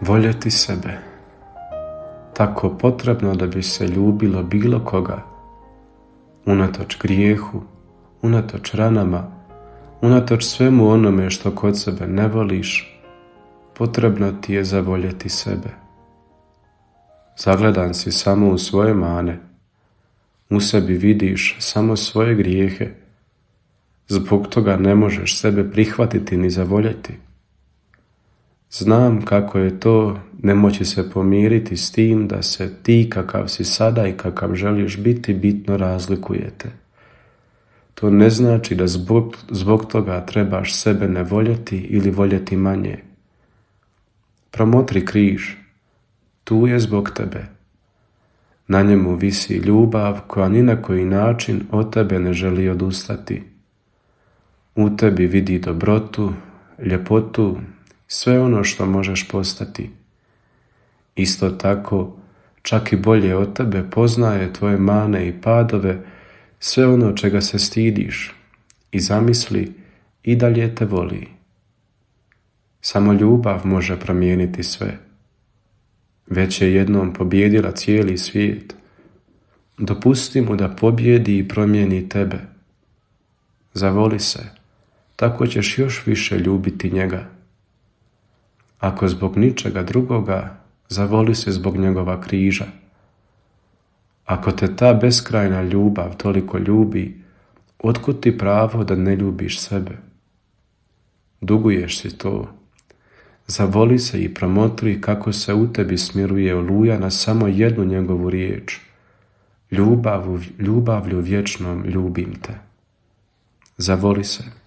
Voljeti sebe. Tako potrebno da bi se ljubilo bilo koga. Unatoč grijehu, unatoč ranama, unatoč svemu onome što kod sebe ne voliš, potrebno ti je zavoljeti sebe. Zagledan si samo u svoje mane, u sebi vidiš samo svoje grijehe, zbog toga ne možeš sebe prihvatiti ni zavoljeti. Znam kako je to ne moći se pomiriti s tim da se ti kakav si sada i kakav želiš biti bitno razlikujete. To ne znači da zbog toga trebaš sebe ne voljeti ili voljeti manje. Promotri križ, tu je zbog tebe. Na njemu visi ljubav koja ni na koji način od tebe ne želi odustati. U tebi vidi dobrotu, ljepotu, sve ono što možeš postati. Isto tako, čak i bolje od tebe poznaje tvoje mane i padove, sve ono čega se stidiš, i zamisli i dalje te voli. Samo ljubav može promijeniti sve. Već je jednom pobijedila cijeli svijet. Dopusti mu da pobjedi i promijeni tebe. Zavoli se, tako ćeš još više ljubiti njega. Ako zbog ničega drugoga, zavoli se zbog njegova križa. Ako te ta beskrajna ljubav toliko ljubi, otkud ti pravo da ne ljubiš sebe? Duguješ si to. Zavoli se i promotri kako se u tebi smiruje oluja na samo jednu njegovu riječ. Ljubavlju vječnom ljubim te. Zavoli se.